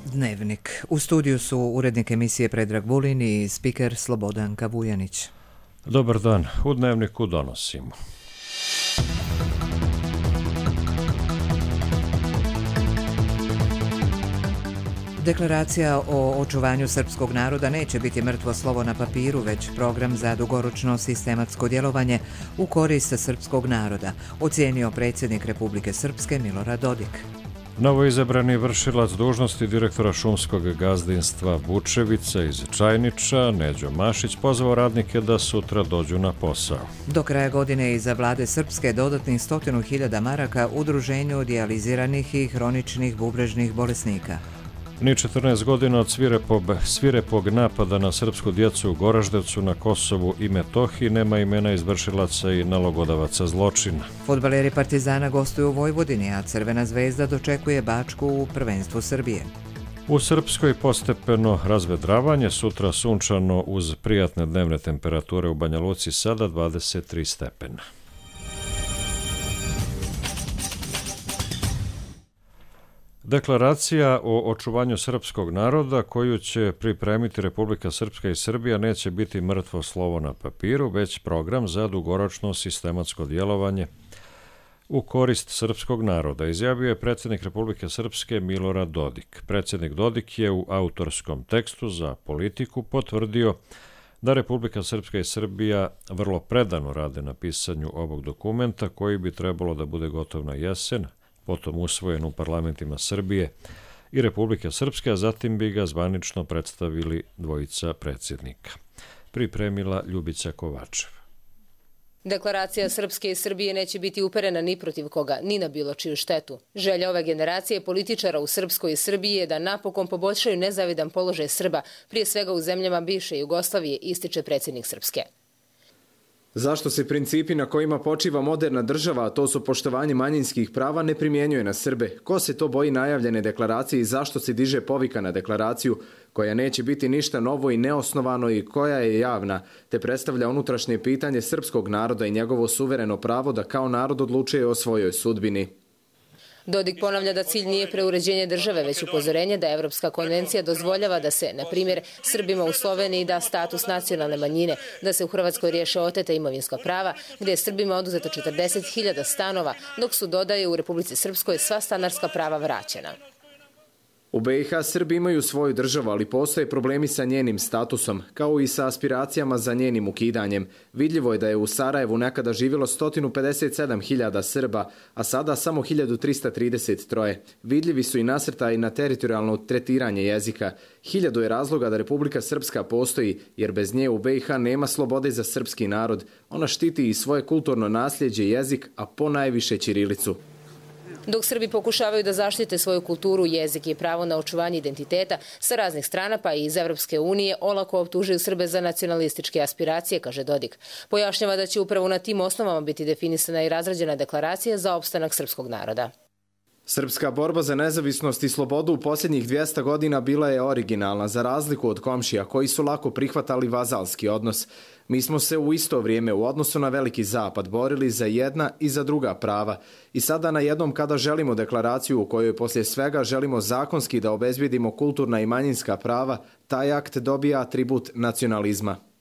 Dnevnik. U studiju su urednik emisije Predrag Vulin i spiker Slobodanka Vujanić. Dobar dan. U Dnevniku donosimo. Deklaracija o očuvanju srpskog naroda neće biti mrtvo slovo na papiru, već program za dugoročno sistematsko djelovanje u korist srpskog naroda, ocijenio predsjednik Republike Srpske Milorad Dodik. Novoizabrani vršilac dužnosti direktora šumskog gazdinstva Vučevica iz Čajniča, Neđo Mašić, pozvao radnike da sutra dođu na posao. Do kraja godine iza vlade Srpske dodatnih 100.000 maraka udruženju dijaliziranih i hroničnih bubrežnih bolesnika. Ni 14 godina od svirepog napada na srpsku djecu u Goraždevcu na Kosovu i Metohiji nema imena izvršilaca i nalogodavaca zločina. Fudbaleri Partizana gostuju u Vojvodini, a Crvena zvezda dočekuje Bačku u prvenstvu Srbije. U Srpskoj postepeno razvedravanje, sutra sunčano uz prijatne dnevne temperature u Banja Luci, sada 23 stepena. Deklaracija o očuvanju srpskog naroda koju će pripremiti Republika Srpska i Srbija neće biti mrtvo slovo na papiru, već program za dugoročno sistematsko djelovanje u korist srpskog naroda, izjavio je predsjednik Republike Srpske Milorad Dodik. Predsjednik Dodik je u autorskom tekstu za Politiku potvrdio da Republika Srpska i Srbija vrlo predano rade na pisanju ovog dokumenta koji bi trebalo da bude gotov na jesen, potom usvojen u parlamentima Srbije i Republike Srpske, a zatim bi ga zvanično predstavili dvojica predsjednika. Pripremila Ljubica Kovačev. Deklaracija Srpske i Srbije neće biti uperena ni protiv koga, ni na bilo čiju štetu. Želja ove generacije političara u Srpskoj i Srbiji je da napokon poboljšaju nezavidan položaj Srba, prije svega u zemljama bivše Jugoslavije, ističe predsjednik Srpske. Zašto se principi na kojima počiva moderna država, a to su poštovanje manjinskih prava, ne primjenjuje na Srbe? Ko se to boji najavljene deklaracije i zašto se diže povika na deklaraciju koja neće biti ništa novo i neosnovano i koja je javna, te predstavlja unutrašnje pitanje srpskog naroda i njegovo suvereno pravo da kao narod odlučuje o svojoj sudbini? Dodik ponavlja da cilj nije preuređenje države, već upozorenje da Evropska konvencija dozvoljava da se, na primjer, Srbima u Sloveniji da status nacionalne manjine, da se u Hrvatskoj riješe oteta imovinska prava, gdje je Srbima oduzeto 40.000 stanova, dok su, dodaje, u Republici Srpskoj sva stanarska prava vraćena. U BiH Srbi imaju svoju državu, ali postoje problemi sa njenim statusom, kao i sa aspiracijama za njenim ukidanjem. Vidljivo je da je u Sarajevu nekada živjelo 157.000 Srba, a sada samo 1.333. Vidljivi su i nasrtaji na teritorijalno tretiranje jezika. 1000 je razloga da Republika Srpska postoji, jer bez nje u BiH nema slobode za srpski narod. Ona štiti i svoje kulturno nasljeđe, jezik, a ponajviše ćirilicu. Dok Srbi pokušavaju da zaštite svoju kulturu, jezik i pravo na očuvanje identiteta, sa raznih strana pa i iz Evropske unije olako optužuju Srbe za nacionalističke aspiracije, kaže Dodik. Pojašnjava da će upravo na tim osnovama biti definisana i razrađena deklaracija za opstanak srpskog naroda. Srpska borba za nezavisnost i slobodu u posljednjih 200 godina bila je originalna, za razliku od komšija koji su lako prihvatali vazalski odnos. Mi smo se u isto vrijeme u odnosu na Veliki Zapad borili za jedna i za druga prava. I sada na jednom kada želimo deklaraciju u kojoj poslije svega želimo zakonski da obezbijedimo kulturna i manjinska prava, taj akt dobija atribut nacionalizma.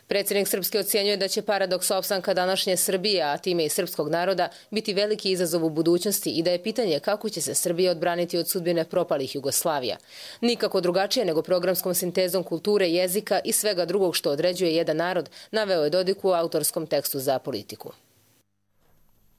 Predsjednik Srpske ocjenjuje da će paradoks opstanka današnje Srbije, a time i srpskog naroda, biti veliki izazov u budućnosti i da je pitanje kako će se Srbija odbraniti od sudbine propalih Jugoslavija. Nikako drugačije nego programskom sintezom kulture, jezika i svega drugog što određuje jedan narod, naveo je Dodik u autorskom tekstu za Politiku.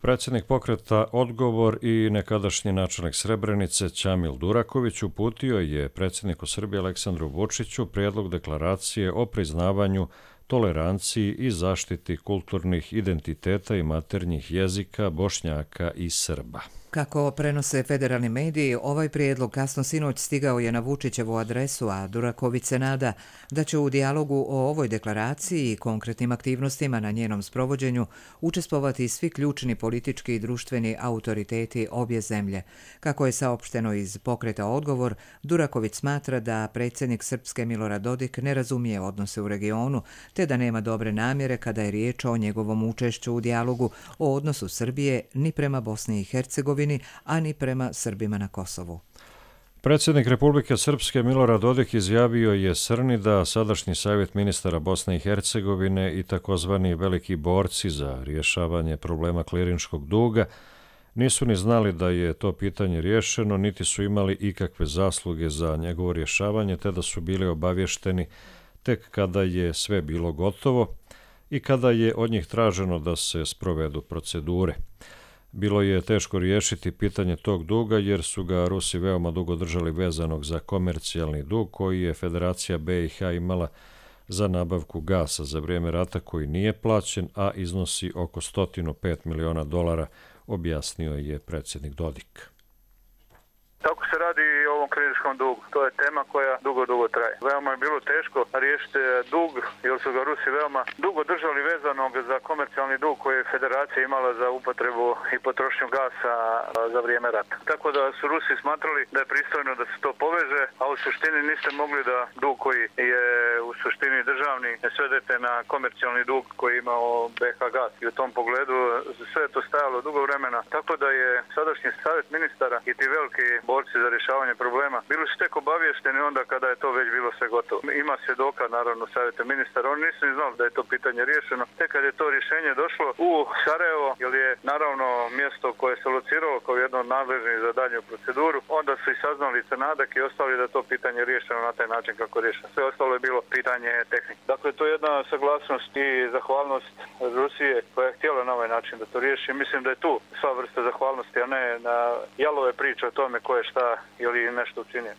Predsjednik pokreta Odgovor i nekadašnji načelnik Srebrenice Ćamil Duraković uputio je predsjedniku Srbije Aleksandru Vučiću prijedlog deklaracije o priznavanju, toleranciji i zaštiti kulturnih identiteta i maternjih jezika Bošnjaka i Srba. Kako prenose federalni mediji, ovaj prijedlog kasno sinoć stigao je na Vučićevu adresu, a Duraković se nada da će u dijalogu o ovoj deklaraciji i konkretnim aktivnostima na njenom sprovođenju učestvovati svi ključni politički i društveni autoriteti obje zemlje. Kako je saopšteno iz pokreta Odgovor, Duraković smatra da predsjednik Srpske Milorad Dodik ne razumije odnose u regionu, te da nema dobre namjere kada je riječ o njegovom učešću u dijalogu o odnosu Srbije ni prema Bosni i Hercegovini, a ni prema Srbima na Kosovu. Predsjednik Republike Srpske Milorad Dodik izjavio je Srni da sadašnji savjet ministara Bosne i Hercegovine i takozvani veliki borci za rješavanje problema klirinškog duga nisu ni znali da je to pitanje riješeno, niti su imali ikakve zasluge za njegovo rješavanje, te da su bili obavješteni tek kada je sve bilo gotovo i kada je od njih traženo da se sprovedu procedure. Bilo je teško riješiti pitanje tog duga jer su ga Rusi veoma dugo držali vezanog za komercijalni dug koji je Federacija BiH imala za nabavku gasa za vrijeme rata koji nije plaćen, a iznosi oko $105 miliona, objasnio je predsjednik Dodik. Tako se radi i o ovom klirinškom dugu. To je tema koja dugo traje. Veoma je bilo teško riješiti dug, jer su ga Rusi veoma dugo držali vezanog za komercijalni dug koji je Federacija imala za upotrebu i potrošnju gasa za vrijeme rata. Tako da su Rusi smatrali da je pristojno da se to poveže, a u suštini niste mogli da dug koji je u suštini državni svedete na komercijalni dug koji je imao BiH gas. I u tom pogledu sve je to stajalo dugo vremena. Tako da je sadašnji savjet ministara i ti veliki borci za rješavanje problema bili su tek obavješteni onda kada je to već bilo sve gotovo. Ima svjedoka naravno savjeta ministara, oni nisu ni znali da je to pitanje riješeno. Tek kad je to rješenje došlo u Sarajevo, jer je naravno mjesto koje se lociralo kao jedno od nadležnih za daljnju proceduru, onda su i saznali Crnadak i ostali da to pitanje riješeno na taj način kako je riješeno. Sve ostalo je bilo pitanje tehnike. Dakle, to je jedna saglasnost i zahvalnost Rusije koja je htjela na ovaj način da to riješi. Mislim da je tu sva vrsta zahvalnosti, a ne na jalove priče o tome ko je šta ili nešto učinio.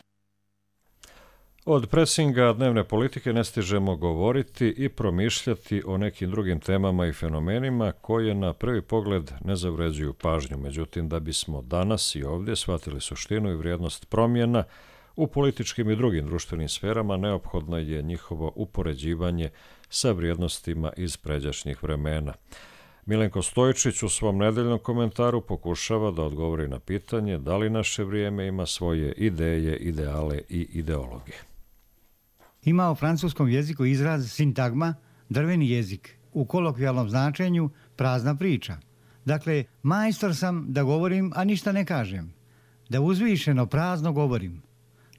Od presinga dnevne politike ne stižemo govoriti i promišljati o nekim drugim temama i fenomenima koje na prvi pogled ne zavređuju pažnju. Međutim, da bismo danas i ovdje shvatili suštinu i vrijednost promjena u političkim i drugim društvenim sferama, neophodno je njihovo upoređivanje sa vrijednostima iz pređašnjih vremena. Milenko Stojčić u svom nedeljnom komentaru pokušava da odgovori na pitanje da li naše vrijeme ima svoje ideje, ideale i ideologije. Ima u francuskom jeziku izraz sintagma, drveni jezik, u kolokvijalnom značenju prazna priča. Dakle, majstor sam da govorim, a ništa ne kažem, da uzvišeno prazno govorim,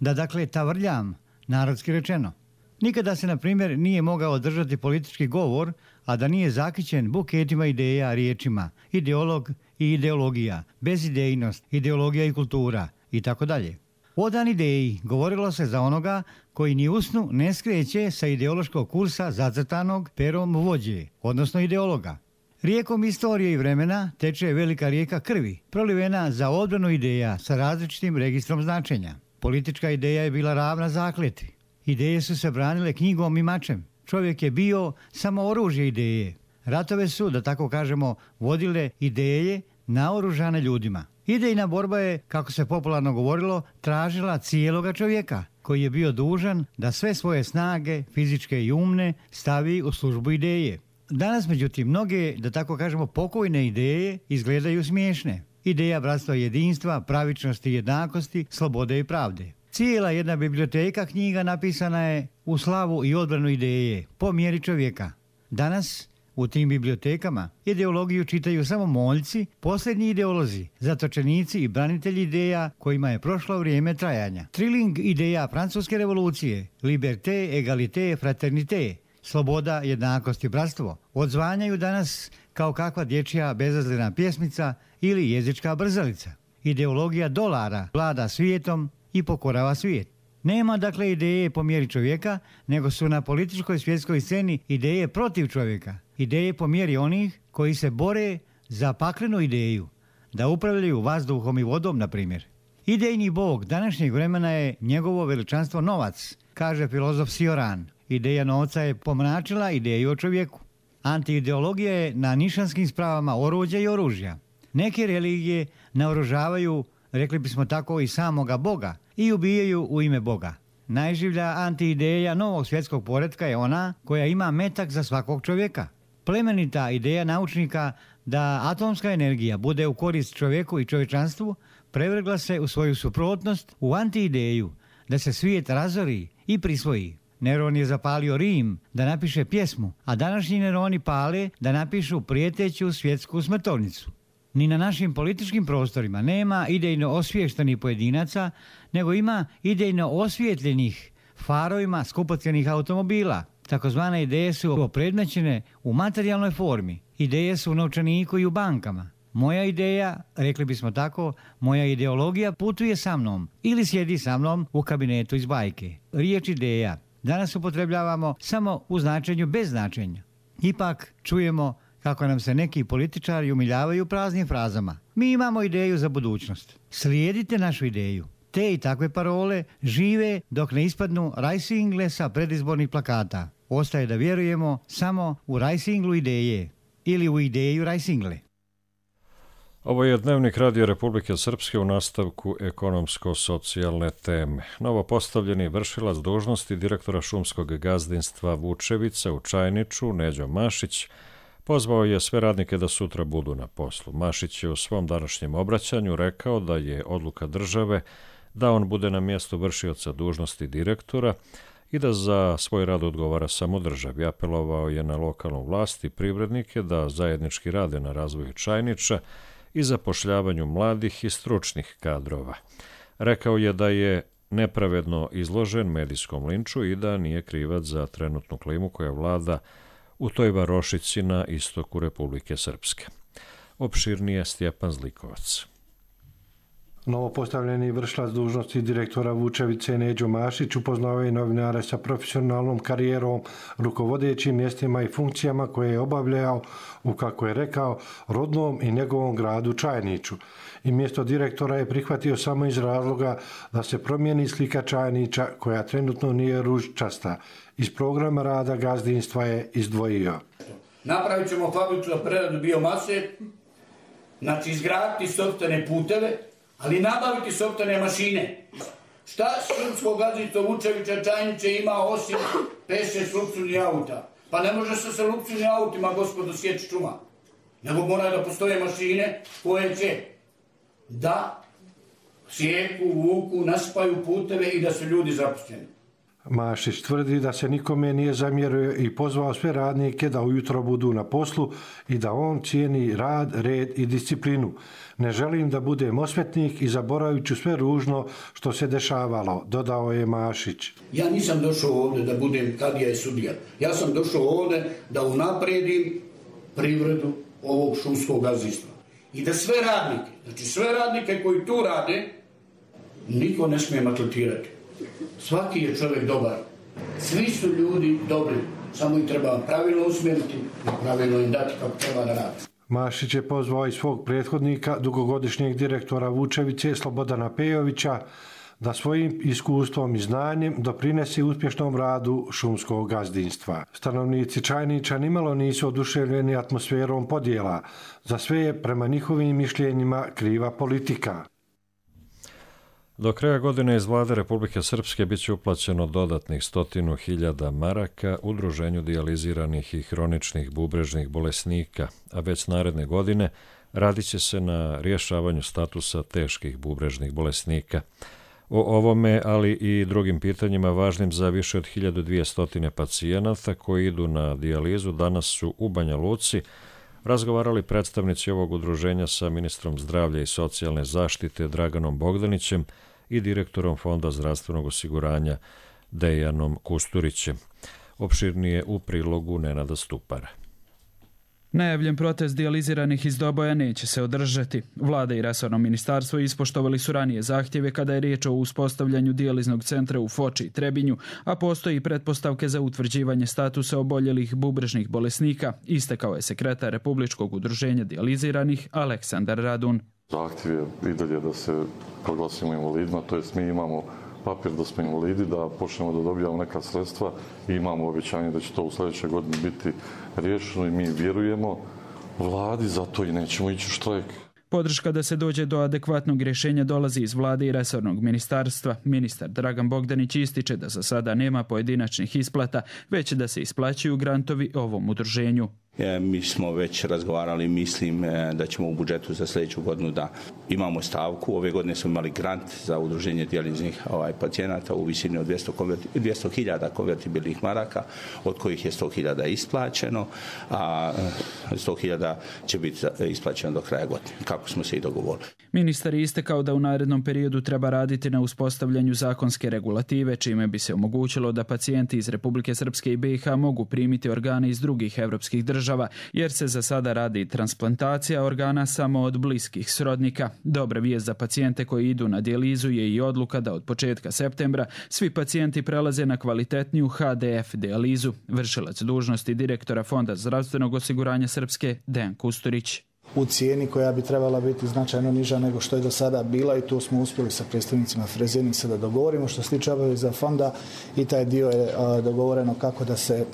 da dakle tavrljam, narodski rečeno. Nikada se, na primjer, nije mogao održati politički govor, a da nije zakićen buketima ideja, riječima, ideolog i ideologija, bezidejnost, ideologija i kultura i tako dalje. Odan ideji govorilo se za onoga koji ni usnu ne skreće sa ideološkog kursa zacrtanog perom vođe, odnosno ideologa. Rijekom istorije i vremena teče velika rijeka krvi, prolivena za odbranu ideja sa različitim registrom značenja. Politička ideja je bila ravna zakletvi. Ideje su se branile knjigom i mačem. Čovjek je bio samo oružje ideje. Ratove su, da tako kažemo, vodile ideje naoružane ljudima. Idejna borba je, kako se popularno govorilo, tražila cijeloga čovjeka, koji je bio dužan da sve svoje snage, fizičke i umne, stavi u službu ideje. Danas, međutim, mnoge, da tako kažemo, pokojne ideje izgledaju smiješne. Ideja bratstva i jedinstva, pravičnosti i jednakosti, slobode i pravde. Cijela jedna biblioteka knjiga napisana je u slavu i odbranu ideje, po mjeri čovjeka. Danas u tim bibliotekama ideologiju čitaju samo moljci, posljednji ideolozi, zatočenici i branitelji ideja kojima je prošlo vrijeme trajanja. Triling ideja francuske revolucije, liberté, égalité, fraternité, sloboda, jednakost i bratstvo, odzvanjaju danas kao kakva dječja bezazlena pjesmica ili jezička brzalica. Ideologija dolara vlada svijetom i pokorava svijet. Nema dakle ideje po mjeri čovjeka, nego su na političkoj svjetskoj sceni ideje protiv čovjeka. Ideje po mjeri onih koji se bore za paklenu ideju, da upravljaju vazduhom i vodom, na primjer. Idejni bog današnjeg vremena je njegovo veličanstvo novac, kaže filozof Cioran. Ideja novca je pomračila ideju o čovjeku. Antiideologija je na nišanskim spravama oruđa i oružja. Neke religije naoružavaju, rekli bismo tako, i samoga Boga i ubijaju u ime Boga. Najživlja antiideja novog svjetskog poretka je ona koja ima metak za svakog čovjeka. Plemenita ideja naučnika da atomska energija bude u korist čovjeku i čovječanstvu prevrgla se u svoju suprotnost u antiideju da se svijet razori i prisvoji. Neron je zapalio Rim da napiše pjesmu, a današnji Neroni pale da napišu prijeteću svjetsku smrtovnicu. Ni na našim političkim prostorima nema idejno osviještenih pojedinaca, nego ima idejno osvijetljenih farovima skupocjenih automobila. Takozvane ideje su opredmećene u materijalnoj formi. Ideje su u novčaniku i u bankama. Moja ideja, rekli bismo tako, moja ideologija putuje sa mnom ili sjedi sa mnom u kabinetu iz bajke. Riječ ideja danas upotrebljavamo samo u značenju bez značenja. Ipak čujemo kako nam se neki političari umiljavaju praznim frazama. Mi imamo ideju za budućnost. Slijedite našu ideju. Te i takve parole žive dok ne ispadnu rajsingle sa predizbornih plakata. Ostaje da vjerujemo samo u rajsinglu ideje ili u ideju rajsingle. Ovo je Dnevnik Radio Republike Srpske u nastavku ekonomsko-socijalne teme. Novo postavljeni vršilac dužnosti direktora šumskog gazdinstva Vučevica u Čajniču, Neđo Mašić, pozvao je sve radnike da sutra budu na poslu. Mašić je u svom današnjem obraćanju rekao da je odluka države da on bude na mjestu vršioca dužnosti direktora i da za svoj rad odgovara samo državi. Apelovao je na lokalnu vlast i privrednike da zajednički rade na razvoju Čajniča i zapošljavanju mladih i stručnih kadrova. Rekao je da je nepravedno izložen medijskom linču i da nije krivac za trenutnu klimu koja vlada u toj varošici na istoku Republike Srpske. Opširnije Stjepan Zlikovac. Novopostavljeni vršilac dužnosti direktora Vučevice Neđo Mašić upoznao je novinare sa profesionalnom karijerom, rukovodećim mjestima i funkcijama koje je obavljao u, kako je rekao, rodnom i njegovom gradu Čajniču. I mjesto direktora je prihvatio samo iz razloga da se promijeni slika Čajniča koja trenutno nije ružičasta. Iz programa rada gazdinstva je izdvojio. Napravit ćemo fabriku za preradu biomase, znači izgraditi sopstvene puteve, ali nabaviti sopstvene mašine. Šta šumsko gazdinstvo Vučevića Čajniče ima osim 5-6 luksuznih auta? Pa ne može se sa luksuznim autima, gospodo, sjeći šuma. Nego moraju da postoje mašine koje će da sjeku, vuku, naspaju puteve i da su ljudi zaposleni. Mašić tvrdi da se nikome nije zamjerio i pozvao sve radnike da ujutro budu na poslu i da on cijeni rad, red i disciplinu. Ne želim da budem osvetnik i zaboravit ću sve ružno što se dešavalo, dodao je Mašić. Ja nisam došao ovdje da budem kadija i sudija. Ja sam došao ovdje da unapredim privredu ovog šumskog gazdinstva. I da sve radnike, znači sve radnike koji tu rade, niko ne smije maltretirati. Svaki je čovjek dobar. Svi su ljudi dobri. Samo ih treba pravilno usmjeriti i pravilno im dati kako treba da radi. Mašić je pozvao i svog prethodnika, dugogodišnjeg direktora Vučevice Slobodana Pejovića, da svojim iskustvom i znanjem doprinese uspješnom radu šumskog gazdinstva. Stanovnici Čajniča nimalo nisu oduševljeni atmosferom podjela. Za sve je prema njihovim mišljenjima kriva politika. Do kraja godine iz vlade Republike Srpske biće uplaćeno dodatnih 100.000 maraka udruženju dijaliziranih i hroničnih bubrežnih bolesnika, a već naredne godine radit će se na rješavanju statusa teških bubrežnih bolesnika. O ovome, ali i drugim pitanjima važnim za više od 1200 pacijenata koji idu na dijalizu danas su u Banja Luci razgovarali predstavnici ovog udruženja sa ministrom zdravlja i socijalne zaštite Draganom Bogdanićem i direktorom Fonda zdravstvenog osiguranja Dejanom Kusturićem. Opširnije u prilogu Nenada Stupara. Najavljen protest dijaliziranih iz Doboja neće se održati. Vlada i resorno ministarstvo ispoštovali su ranije zahtjeve kada je riječ o uspostavljanju dijaliznog centra u Foči i Trebinju, a postoji pretpostavke za utvrđivanje statusa oboljelih bubrežnih bolesnika, istakao je sekretar Republičkog udruženja dijaliziranih Aleksandar Radun. Zahtjev je i dalje da se proglasimo invalidima, to jest mi imamo papir da smo invalidi, da počnemo da dobijamo neka sredstva i imamo obećanje da će to u sljedećoj godini biti riješeno i mi vjerujemo vladi, zato i nećemo ići u štrajk. Podrška da se dođe do adekvatnog rješenja dolazi iz vlade i resornog ministarstva. Ministar Dragan Bogdanić ističe da za sada nema pojedinačnih isplata, već da se isplaćuju grantovi ovom udruženju. Mi smo već razgovarali, mislim da ćemo u budžetu za sljedeću godinu da imamo stavku. Ove godine smo imali grant za udruženje dijaliznih pacijenata u visini od 200.000 konvertibilnih maraka, od kojih je 100.000 isplaćeno, a 100.000 će biti isplaćeno do kraja godine, kako smo se i dogovorili. Ministar je istakao da u narednom periodu treba raditi na uspostavljanju zakonske regulative, čime bi se omogućilo da pacijenti iz Republike Srpske i BiH mogu primiti organe iz drugih evropskih država, jer se za sada radi transplantacija organa samo od bliskih srodnika. Dobra vijest za pacijente koji idu na dijalizu je i odluka da od početka septembra svi pacijenti prelaze na kvalitetniju HDF dijalizu. Vršilac dužnosti direktora Fonda zdravstvenog osiguranja Srpske, Dejan Kusturić. U cijeni koja bi trebala biti značajno niža nego što je do sada bila, i tu smo uspjeli sa predstavnicima Fresenice da dogovorimo. Što se tiče obaveza fonda, i taj dio je dogovoreno kako da se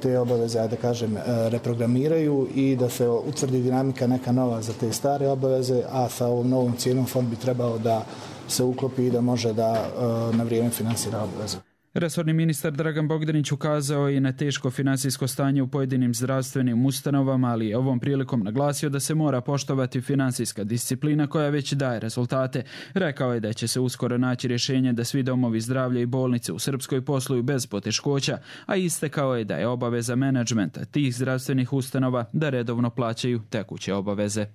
te obaveze, da kažem, reprogramiraju i da se utvrdi dinamika neka nova za te stare obaveze, a sa ovom novom cijenom fond bi trebao da se uklopi i da može da na vrijeme finansira obaveze. Resorni ministar Dragan Bogdanić ukazao i na teško finansijsko stanje u pojedinim zdravstvenim ustanovama, ali je ovom prilikom naglasio da se mora poštovati finansijska disciplina koja već daje rezultate. Rekao je da će se uskoro naći rješenje da svi domovi zdravlja i bolnice u Srpskoj posluju bez poteškoća, a istakao je da je obaveza menadžmenta tih zdravstvenih ustanova da redovno plaćaju tekuće obaveze.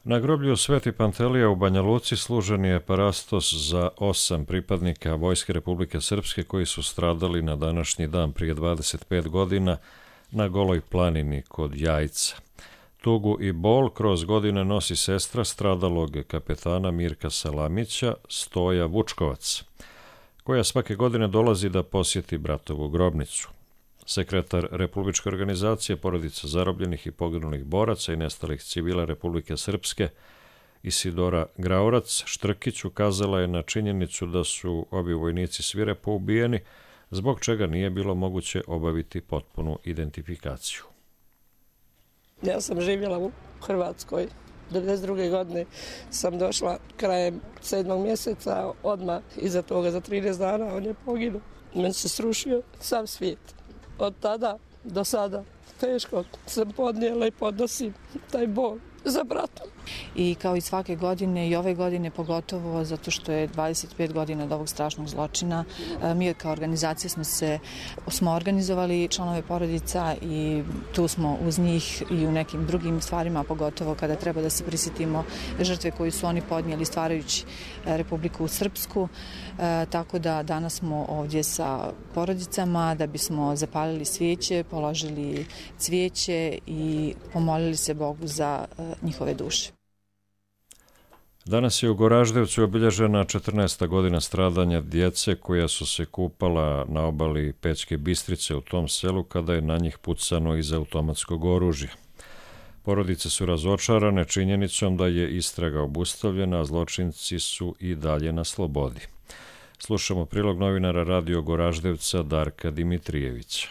Na groblju Sveti Pantelija u Banja Luci služen je parastos za 8 pripadnika Vojske Republike Srpske koji su stradali na današnji dan prije 25 godina na Goloj planini kod Jajca. Tugu i bol kroz godine nosi sestra stradalog kapetana Mirka Salamića, Stoja Vučkovac, koja svake godine dolazi da posjeti bratovu grobnicu. Sekretar Republičke organizacije porodica zarobljenih i poginulih boraca i nestalih civila Republike Srpske Isidora Graurac Štrkić ukazala je na činjenicu da su ovi vojnici svirepo ubijeni, zbog čega nije bilo moguće obaviti potpunu identifikaciju. Ja sam živjela u Hrvatskoj. 1992. godine sam došla krajem 7. mjeseca, odmah iza toga za 13 dana on je poginuo. Meni se srušio sav svijet. Od tada do sada teško sam podnijela i podnosim taj bol za bratom. I kao i svake godine i ove godine pogotovo zato što je 25 godina od ovog strašnog zločina, mi kao organizacija smo organizovali članove porodica i tu smo uz njih i u nekim drugim stvarima, pogotovo kada treba da se prisjetimo žrtve koju su oni podnijeli stvarajući Republiku Srpsku. Tako da danas smo ovdje sa porodicama da bismo zapalili svijeće, položili cvijeće i pomolili se Bogu za njihove duše. Danas je u Goraždevcu obilježena 14. godina stradanja djece koja su se kupala na obali Pećke Bistrice u tom selu kada je na njih pucano iz automatskog oružja. Porodice su razočarane činjenicom da je istraga obustavljena, a zločinci su i dalje na slobodi. Slušamo prilog novinara Radio Goraždevca Darka Dimitrijevića.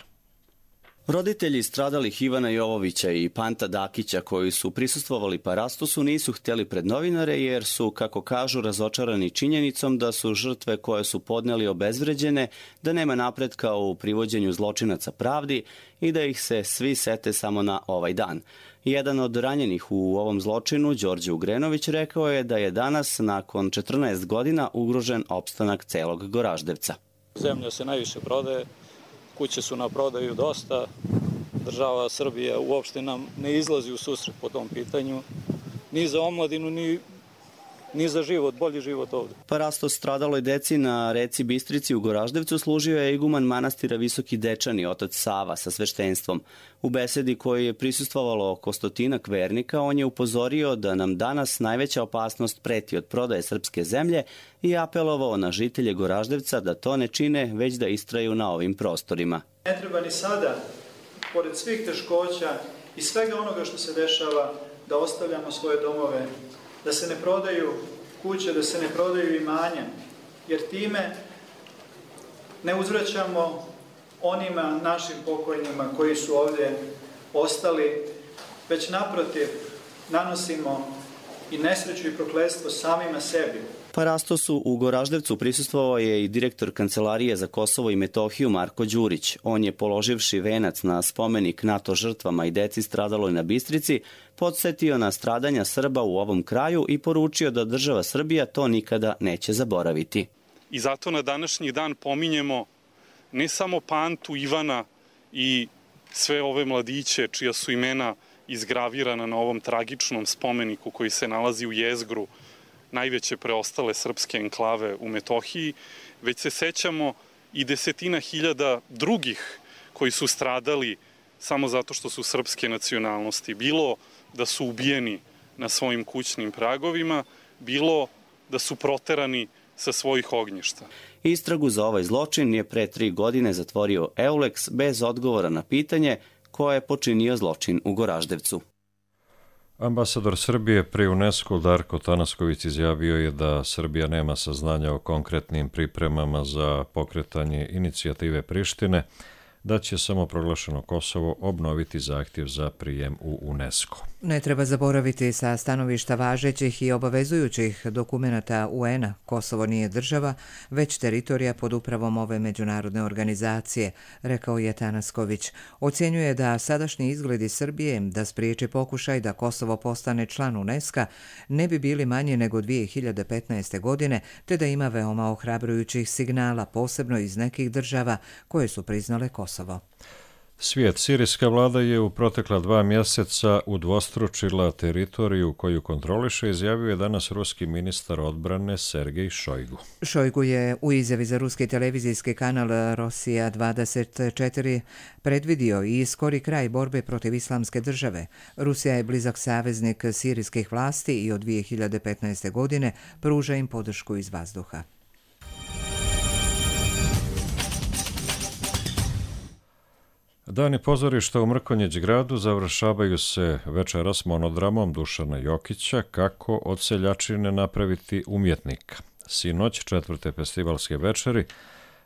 Roditelji stradalih Ivana Jovovića i Panta Dakića koji su prisustvovali parastosu nisu htjeli pred novinare jer su, kako kažu, razočarani činjenicom da su žrtve koje su podneli obezvređene, da nema napretka u privođenju zločinaca pravdi i da ih se svi sete samo na ovaj dan. Jedan od ranjenih u ovom zločinu, Đorđe Ugrenović, rekao je da je danas, nakon 14 godina, ugrožen opstanak celog Goraždevca. Zemlja se najviše prodaje, kuće su na prodaju dosta, država Srbija uopšte nam ne izlazi u susret po tom pitanju, ni za omladinu, ni za život, bolji život ovdje. Parastos stradaloj deci na reci Bistrici u Goraždevcu služio je iguman manastira Visoki Dečani, otac Sava, sa sveštenstvom. U besedi kojoj je prisustvovalo oko 100 vernika, on je upozorio da nam danas najveća opasnost preti od prodaje srpske zemlje i apelovao na žitelje Goraždevca da to ne čine, već da istraju na ovim prostorima. Ne treba ni sada, pored svih teškoća i svega onoga što se dešava, da ostavljamo svoje domove, da se ne prodaju kuće, da se ne prodaju imanja, jer time ne uzvraćamo onima našim pokojnima koji su ovdje ostali, već naprotiv nanosimo i nesreću i prokletstvo samima sebi. Parastosu u Goraždevcu prisustvovao je i direktor Kancelarije za Kosovo i Metohiju Marko Đurić. On je, položivši venac na spomenik NATO žrtvama i deci stradaloj na Bistrici, podsjetio na stradanja Srba u ovom kraju i poručio da država Srbija to nikada neće zaboraviti. I zato na današnji dan pominjemo ne samo Pantu, Ivana i sve ove mladiće čija su imena izgravirana na ovom tragičnom spomeniku koji se nalazi u jezgru najveće preostale srpske enklave u Metohiji, već se sećamo i desetina hiljada drugih koji su stradali samo zato što su srpske nacionalnosti. Bilo da su ubijeni na svojim kućnim pragovima, bilo da su proterani sa svojih ognjišta. Istragu za ovaj zločin je pre 3 godine zatvorio Eulex bez odgovora na pitanje ko je počinio zločin u Goraždevcu. Ambasador Srbije pri UNESCO Darko Tanasković izjavio je da Srbija nema saznanja o konkretnim pripremama za pokretanje inicijative Prištine, da će samoproglašeno Kosovo obnoviti zahtjev za prijem u UNESCO. Ne treba zaboraviti sa stanovišta važećih i obavezujućih dokumenata UN-a, Kosovo nije država, već teritorija pod upravom ove međunarodne organizacije, rekao je Tanasković. Ocjenjuje da sadašnji izgledi Srbije da spriječi pokušaj da Kosovo postane član UNESCO ne bi bili manji nego 2015. godine, te da ima veoma ohrabrujućih signala, posebno iz nekih država koje su priznale Kosovo. Svijet. Sirijska vlada je u protekla 2 mjeseca udvostručila teritoriju koju kontroliše, izjavio je danas ruski ministar odbrane Sergej Šojgu. Šojgu je u izjavi za ruski televizijski kanal Rosija 24 predvidio i skori kraj borbe protiv islamske države. Rusija je blizak saveznik sirijskih vlasti i od 2015. godine pruža im podršku iz vazduha. Dani pozorišta u Mrkonjić gradu završavaju se večeras monodramom Dušana Jokića Kako od seljačine napraviti umjetnika. Sinoć 4. festivalske večeri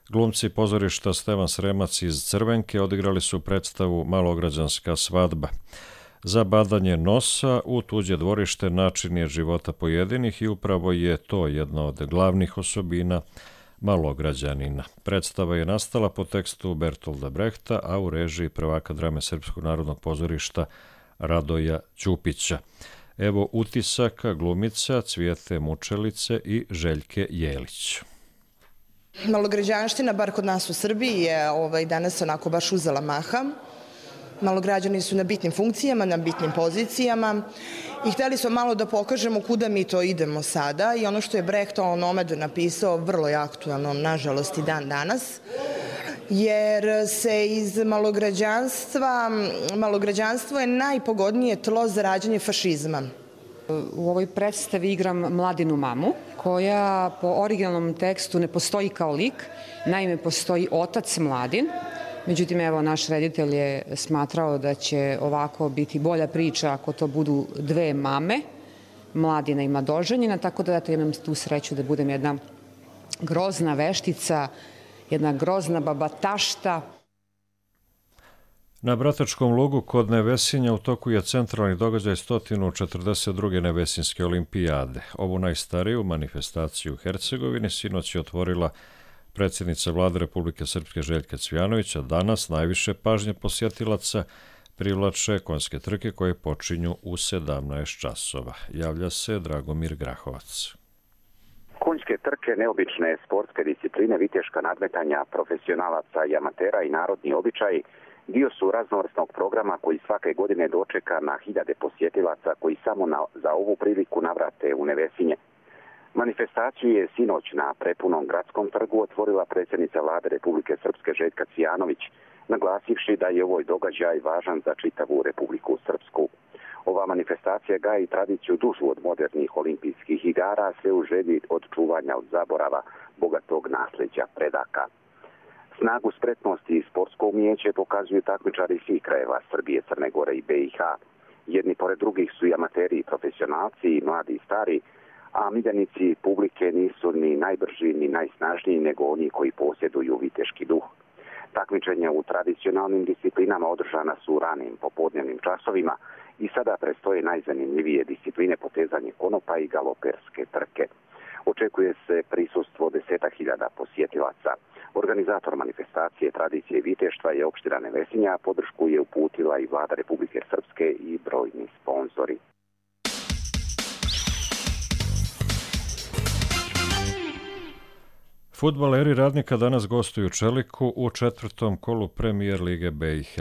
glumci pozorišta Stevan Sremac iz Crvenke odigrali su predstavu Malograđanska svadba. Za badanje nosa u tuđe dvorište način je života pojedinih i upravo je to jedna od glavnih osobina Malograđanina. Predstava je nastala po tekstu Bertolda Brehta, a u režiji prvaka drame Srpskog narodnog pozorišta Radoja Ćupića. Evo utisaka glumica Cvijete Mučelice i Željke Jelić. Malograđanština, bar kod nas u Srbiji, je danas onako baš uzela maha. Malograđani su na bitnim funkcijama, na bitnim pozicijama i hteli smo malo da pokažemo kuda mi to idemo sada i ono što je Brecht Nomad napisao vrlo je aktualno, nažalost i dan danas, jer se iz malograđanstvo je najpogodnije tlo za rađanje fašizma. U ovoj predstavi igram Mladinu mamu, koja po originalnom tekstu ne postoji kao lik, naime postoji otac Mladin. Međutim, evo, naš reditelj je smatrao da će ovako biti bolja priča ako to budu 2 mame, Mladina i Mladoženjina, tako da imam tu sreću da budem jedna grozna veštica, jedna grozna babatašta. Na Bratačkom lugu kod Nevesinja u toku je centralni događaj 142. Nevesinske olimpijade. Ovu najstariju manifestaciju u Hercegovini sinoć je otvorila predsjednica vlade Republike Srpske Željka Cvijanovića. Danas najviše pažnje posjetilaca privlače konjske trke koje počinju u 17 časova. Javlja se Dragomir Grahovac. Konjske trke, neobične sportske discipline, viteška nadmetanja profesionalaca i amatera i narodni običaji dio su raznovrsnog programa koji svake godine dočeka na hiljade posjetilaca koji samo za ovu priliku navrate u Nevesinje. Manifestaciju je sinoć na prepunom gradskom trgu otvorila predsjednica vlade Republike Srpske Željka Cvijanović, naglasivši da je ovoj događaj važan za čitavu Republiku Srpsku. Ova manifestacija gaji tradiciju dužu od modernih olimpijskih igara, sve u želji od čuvanja od zaborava bogatog nasljeđa predaka. Snagu spretnosti i sportsko umijeće pokazuju takmičari svih krajeva Srbije, Crne Gore i BiH. Jedni pored drugih su i amateri i profesionalci, i mladi i stari, a miljenici publike nisu ni najbrži ni najsnažniji nego oni koji posjeduju viteški duh. Takmičenja u tradicionalnim disciplinama održana su u ranim popodnevnim časovima i sada prestoje najzanimljivije discipline potezanje konopa i galoperske trke. Očekuje se prisustvo 10.000 posjetilaca. Organizator manifestacije tradicije i viteštva je opština Nevesinja, podršku je uputila i vlada Republike Srpske i brojni sponzori. Fudbaleri Radnika danas gostuju Čeliku u 4. kolu Premijer Lige BiH.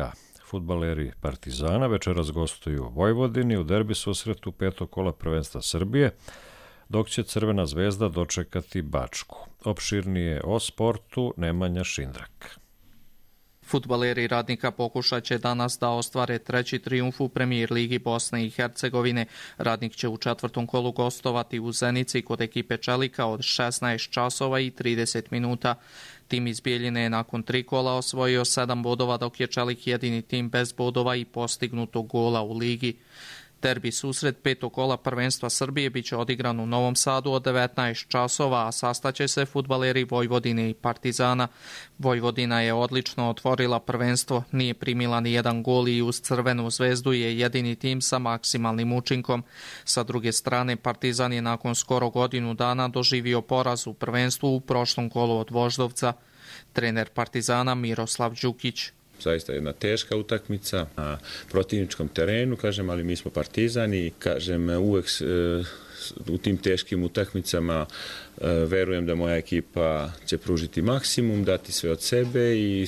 Fudbaleri Partizana večeras gostuju Vojvodini u derbi susretu 5. kola prvenstva Srbije, dok će Crvena zvezda dočekati Bačku. Opširnije o sportu Nemanja Šindrak. Fudbaleri Radnika pokušat će danas da ostvare treći trijumf u Premijer Ligi Bosne i Hercegovine. Radnik će u 4. kolu gostovati u Zenici kod ekipe Čelika od 16 časova i 30 minuta. Tim iz Bijeljine je nakon 3 kola osvojio 7 bodova, dok je Čelik jedini tim bez bodova i postignutog gola u ligi. Derbi susret 5. kola prvenstva Srbije biće odigran u Novom Sadu od 19 časova, a sastaće se fudbaleri Vojvodine i Partizana. Vojvodina je odlično otvorila prvenstvo, nije primila ni jedan gol i uz Crvenu zvezdu je jedini tim sa maksimalnim učinkom. Sa druge strane, Partizan je nakon skoro godinu dana doživio poraz u prvenstvu u prošlom kolu od Voždovca. Trener Partizana Miroslav Đukić. Zaista jedna teška utakmica na protivničkom terenu, kažem, ali mi smo Partizani, kažem, uvek u tim teškim utakmicama verujem da moja ekipa će pružiti maksimum, dati sve od sebe i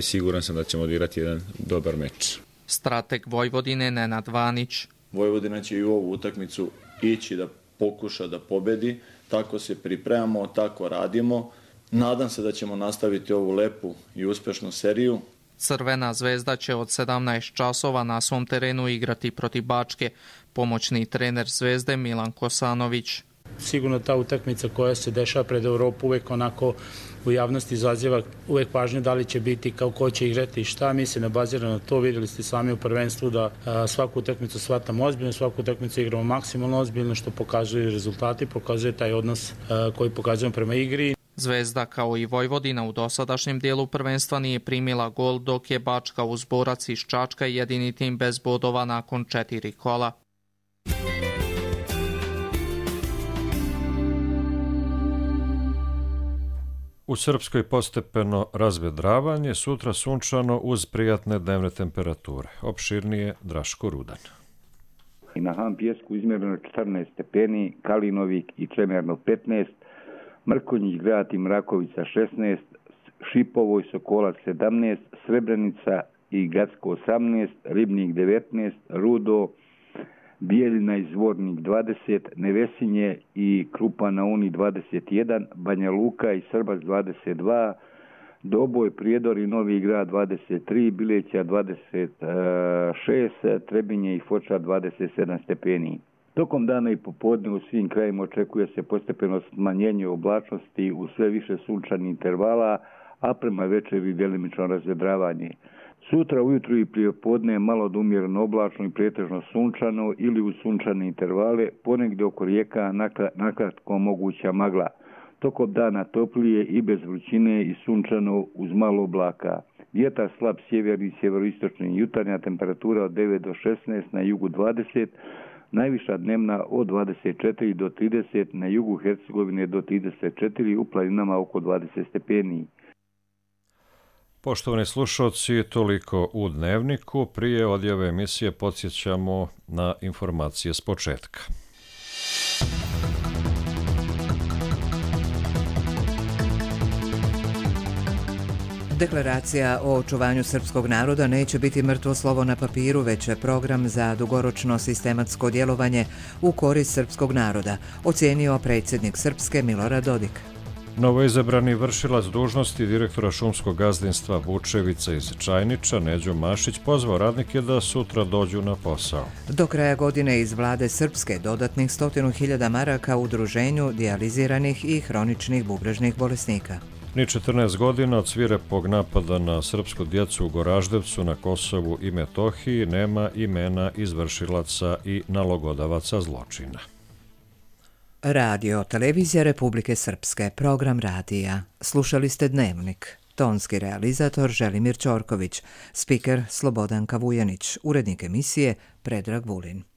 siguran sam da ćemo odigrati jedan dobar meč. Strateg Vojvodine Nenad Vanić. Vojvodina će i u ovu utakmicu ići da pokuša da pobedi, tako se pripremamo, tako radimo. Nadam se da ćemo nastaviti ovu lepu i uspešnu seriju. Crvena zvezda će od 17 časova na svom terenu igrati protiv Bačke. Pomoćni trener Zvezde Milan Kosanović. Sigurno ta utakmica koja se dešava pred Evropu uvek onako u javnosti izaziva uvek pažnju da li će biti, kao ko će igrati i šta. Mi se ne baziramo na to, vidjeli ste sami u prvenstvu da svaku utakmicu shvatamo ozbiljno, svaku utakmicu igramo maksimalno ozbiljno, što pokazuju rezultati, pokazuje taj odnos koji pokazujemo prema igri. Zvezda kao i Vojvodina u dosadašnjem dijelu prvenstva nije primila gol, dok je Bačka uz Borac iz Čačka jedini tim bez bodova nakon 4 kola. U Srpskoj postepeno razvedravanje, sutra sunčano uz prijatne dnevne temperature. Opširnije Draško Rudan. Na Han Pjesku izmjereno 14 stepeni, Kalinovik i Čemerno 15, Mrkonjić grad i Mrakovica 16, Šipovo i Sokolac 17, Srebrenica i Gacko 18, Ribnik 19, Rudo, Bijeljina i Zvornik 20, Nevesinje i Krupa na Uni 21, Banja Luka i Srbac 22, Doboj, Prijedor i Novi Grad 23, Bileća 26, Trebinje i Foča 27 stepeni. Tokom dana i popodne u svim krajima očekuje se postepeno smanjenje oblačnosti u sve više sunčanih intervala, a prema večeri delimično razvedravanje. Sutra ujutru i prijepodne malo do umjereno oblačno i pretežno sunčano ili u sunčane intervale, ponegdje oko rijeka nakratko moguća magla. Tokom dana toplije i bez vrućine i sunčano uz malo oblaka. Vjetar slab sjeverni i sjeveroistočni, jutarnja temperatura od 9 do 16, na jugu 20, najviša dnevna od 24 do 30, na jugu Hercegovine do 34, u planinama oko 20 stepeni. Poštovani slušalci, toliko u Dnevniku. Prije odjave emisije podsjećamo na informacije s početka. Deklaracija o očuvanju srpskog naroda neće biti mrtvo slovo na papiru, već je program za dugoročno sistematsko djelovanje u korist srpskog naroda, ocijenio predsjednik Srpske Milorad Dodik. Novoizabrani vršilac dužnosti direktora šumskog gazdinstva Vučevica iz Čajniča, Neđo Mašić, pozvao radnike da sutra dođu na posao. Do kraja godine iz vlade Srpske dodatnih 100.000 maraka u udruženju dijaliziranih i hroničnih bubrežnih bolesnika. Ni 14 godina od svirepog napada na srpsku djecu u Goraždevcu na Kosovu i Metohiji nema imena izvršilaca i nalogodavaca zločina. Radio, televizija Republike Srpske, program radija. Slušali ste Dnevnik. Tonski realizator Želimir Ćorković, spiker Slobodanka Vujanić, urednik emisije Predrag Vulin.